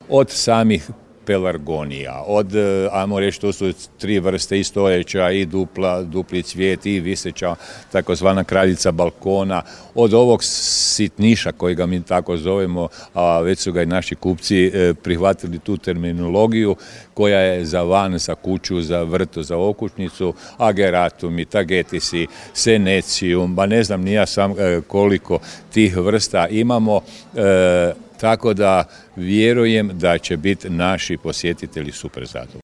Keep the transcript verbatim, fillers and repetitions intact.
od samih pelargonija, od, ajmo reći, to su tri vrste i stojeća, i dupla, dupli cvijet, i viseća, takozvana kraljica balkona, od ovog sitniša kojega mi tako zovemo, a već su ga i naši kupci prihvatili tu terminologiju, koja je za van, za kuću, za vrtu, za okućnicu, ageratum, tagetisi, senecijum, ba ne znam ni ja sam koliko tih vrsta imamo, tako da vjerujem da će biti naši posjetitelji super zadovoljni.